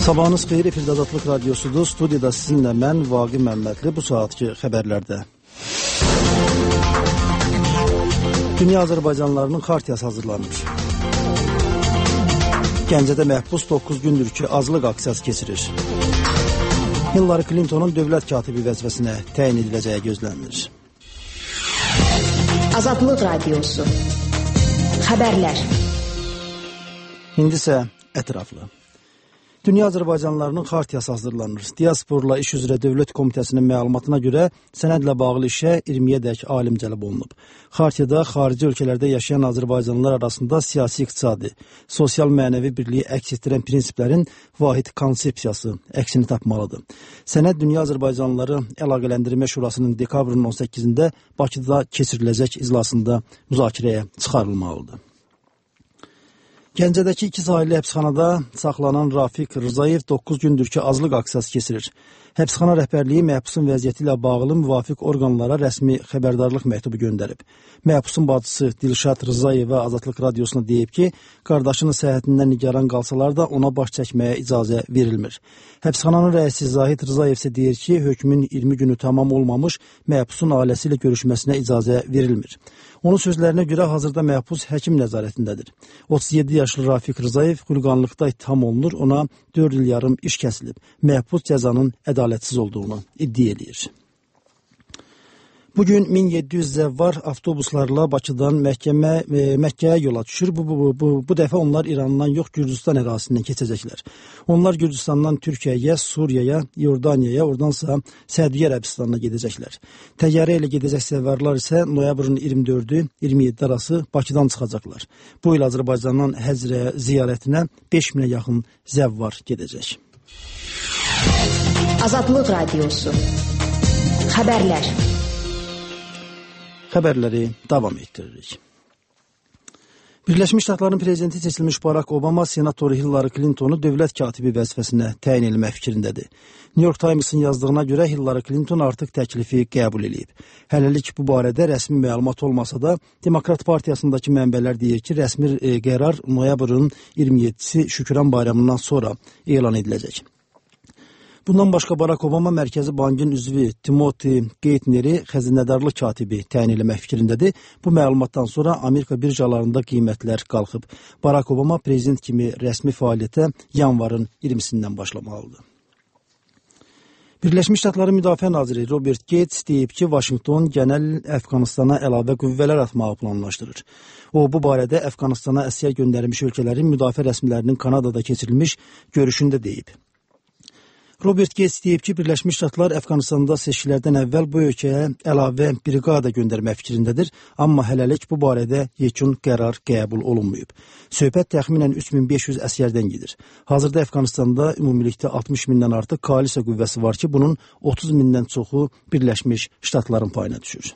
Sabahınız xeyir, efirdə Azadlıq Radyosudur. Studiyada sizinlə mən, Vaqi Məmmədli, bu saatki xəbərlərdə. Dünya Azərbaycanlılarının xartiyası hazırlanır. Gəncədə məhbus 9 gündür ki, azlıq aksiyası keçirir. Hillary Clintonun dövlət katibi vəzifəsinə təyin ediləcəyi gözlənilir. Azadlıq Radyosu. Xəbərlər. İndi isə ətraflı. Dünya Azərbaycanlılarının xartiyası hazırlanır. Diasporla İş üzrə Dövlət Komitəsinin məlumatına görə sənədlə bağlı işə 20-yədək alim cəlb olunub. Xartiyada xarici ölkələrdə yaşayan Azərbaycanlılar arasında siyasi, iqtisadi, sosial mənəvi birliyi əks etdirən prinsiplərin vahid konsepsiyası əksini tapmalıdır. Sənəd Dünya Azərbaycanlıları Əlaqələndirmə Şurasının dekabrın 18-də Bakıda keçiriləcək iclasında müzakirəyə çıxarılmalıdır. Gəncədəki 2 sahilli həbsxanada saxlanan Rafiq Rzayev 9 gündür ki, azlıq aksiyası keçirir. Həbsxana rəhbərliyi məhbusun vəziyyəti ilə bağlı müvafiq orqanlara rəsmi xəbərdarlıq məktubu göndərib. Məhbusun bacısı Dilşad Rzayeva Azadlıq Radiosuna deyib ki, qardaşının səhhətindən nigaran qalsalar da ona baş çəkməyə icazə verilmir. Həbsxananın rəisi Zahid Rzayev isə deyir ki, hökmün 20 günü tamam olmamış məhbusun ailəsi ilə görüşməsinə icazə verilmir. Onun sözlərinə görə hazırda məhbus həkim nəzarətindədir. 37 yaşlı Rafiq Rzayev xulqanlıqda ittiham olunur, ona 4 il yarım iş kəsilib. Məhbus cəzanın ədalətsiz olduğunu iddia edir. Bugün 1700 zəvvar avtobuslarla Bakıdan Məkkəyə yola düşür. Bu dəfə onlar İrandan yox, Gürcüstan ərazisindən keçəcəklər. Onlar Gürcüstandan Türkiyəyə, Suriyaya, Yordaniyaya, oradansa Səudiyyə Ərəbistanına gedəcəklər. Təyyarə ilə gedəcək zəvvarlar isə noyabrın 24-27 arası Bakıdan çıxacaqlar. Bu il Azərbaycandan həcc ziyarətinə 5000-ə yaxın zəvvar gedəcək. Azadlıq Radyosu. Xəbərlər. Xəbərləri davam etdiririk. Birləşmiş Ştatların prezidenti seçilmiş Barack Obama senatoru Hillary Clintonu dövlət katibi vəzifəsinə təyin etmək fikrindədir. New York Times'ın yazdığına görə Hillary Clinton artıq təklifi qəbul edib. Hələlik bu barədə rəsmi məlumat olmasa da, Demokrat Partiyasındakı mənbələr deyir ki, rəsmi qərar noyabrın 27-si Şükran bayramından sonra elan ediləcək. Bundan başqa Barack Obama Mərkəzi Bankın üzvü Timothy Geithner'i xəzinədarlıq katibi təyin etmək fikrindədir. Bu məlumatdan sonra Amerika birjalarında qiymətlər qalxıb. Barack Obama prezident kimi rəsmi fəaliyyətə yanvarın 20-sindən başlamalıdır. Birləşmiş Ştatların Müdafiə naziri Robert Gates deyib ki, Vaşinqton genel Əfqanistana əlavə qüvvələr atmağı planlaşdırır. O, bu barədə Əfqanistana əsir göndərilmiş ölkələrin müdafiə rəsmilərinin Kanadada keçirilmiş görüşündə deyib. Robert Gates deyib ki, Birləşmiş Ştatlar Əfqanistanda seçkilərdən əvvəl bu ölkəyə əlavə briqada göndərmək fikrindədir, amma hələlik bu barədə yekun qərar qəbul olunmayıb. Söhbət təxminən 3500 əsgərdən gedir. Hazırda Əfqanistanda ümumilikdə 60 mindən artıq koalisiya qüvvəsi var ki, bunun 30 mindən çoxu Birləşmiş Ştatların payına düşür.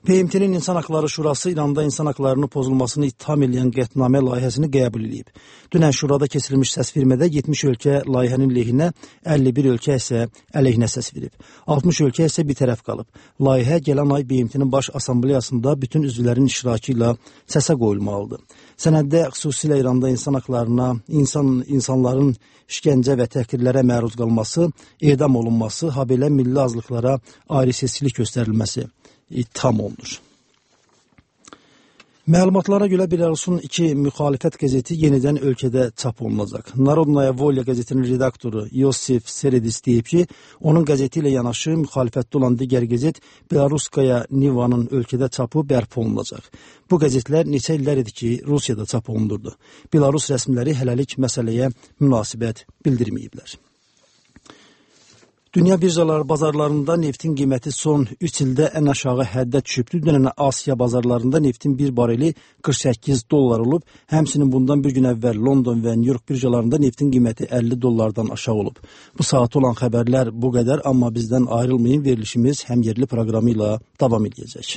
PMT-nin İnsan Haqları Şurası İranda insan haqlarının pozulmasını ittiham edən qətnamə layihəsini qəbul edib. Dünən Şurada keçirilmiş səsvermədə 70 ölkə layihənin lehinə, 51 ölkə isə əleyhinə səs verib. 60 ölkə isə bir tərəf qalıb. Layihə gələn ay BMT-nin baş assambleyasında bütün üzvlərin iştirakı ilə səsə qoyulmalıdır. Sənəddə xüsusilə İranda insan haqlarına, insanların işgəncə və təhqirlərə məruz qalması, edam olunması, habelə milli azlıqlara ayrı-seçkilik göstərilməsi ittiham olunur. Məlumatlara görə Belarusun 2 müxalifət qəzeti yenidən ölkədə çap olunacaq. Narodnaya Volya qəzetinin redaktoru Yosif Seredis deyib ki, onun qəzeti ilə yanaşı müxalifətdə olan digər qəzet Belaruskaya Nivanın ölkədə çapı bərpa olunacaq. Bu qəzetlər neçə illər idi ki, Rusiyada çap olunurdu. Belarus rəsmiləri hələlik məsələyə münasibət bildirməyiblər. Dünya bazarlarında neftin qiyməti son 3 ildə ən aşağı həddə düşübdür. Dünən Asiya bazarlarında neftin bir bareli 48 dollar olub. Həmçinin bundan bir gün əvvəl London və New York birjalarında neftin qiyməti 50 dollardan aşağı olub. Bu saat olan xəbərlər bu qədər, amma bizdən ayrılmayın, verilişimiz həm yerli proqramı ilə davam edəcək.